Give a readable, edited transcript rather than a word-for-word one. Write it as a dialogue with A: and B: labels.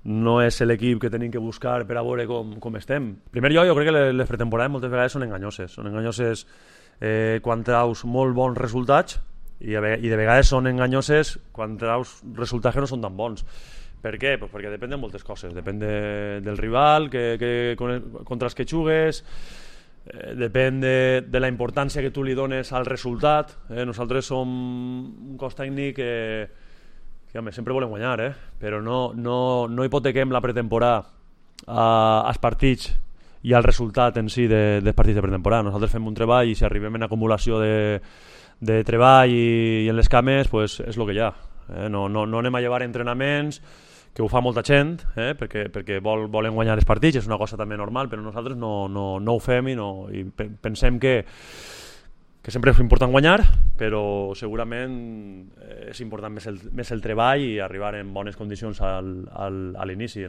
A: no és l'equip que tenim que buscar per a veure com estem. En primer lloc, jo crec que les pretemporades moltes vegades són enganyoses quan traus molt bons resultats i de vegades són enganyoses quan traus resultats que no són tan bons. Per què? Pues perquè depèn de moltes coses, depèn del rival contra els que jugues, depèn de la importància que tu li dones al resultat. Nosaltres som un cos tècnic que home, sempre volem guanyar, però no hipotequem la pretemporada als partits i al resultat en si dels partits de pretemporada. Nosaltres fem un treball i si arribem en acumulació de treball i en les cames, pues és el que hi ha. No anem a llevar entrenaments, que ho fa molta gent, perquè volen guanyar els partits, és una cosa també normal, però nosaltres no ho fem i pensem que sempre és important guanyar, però segurament és important més el treball i arribar en bones condicions a l'inici.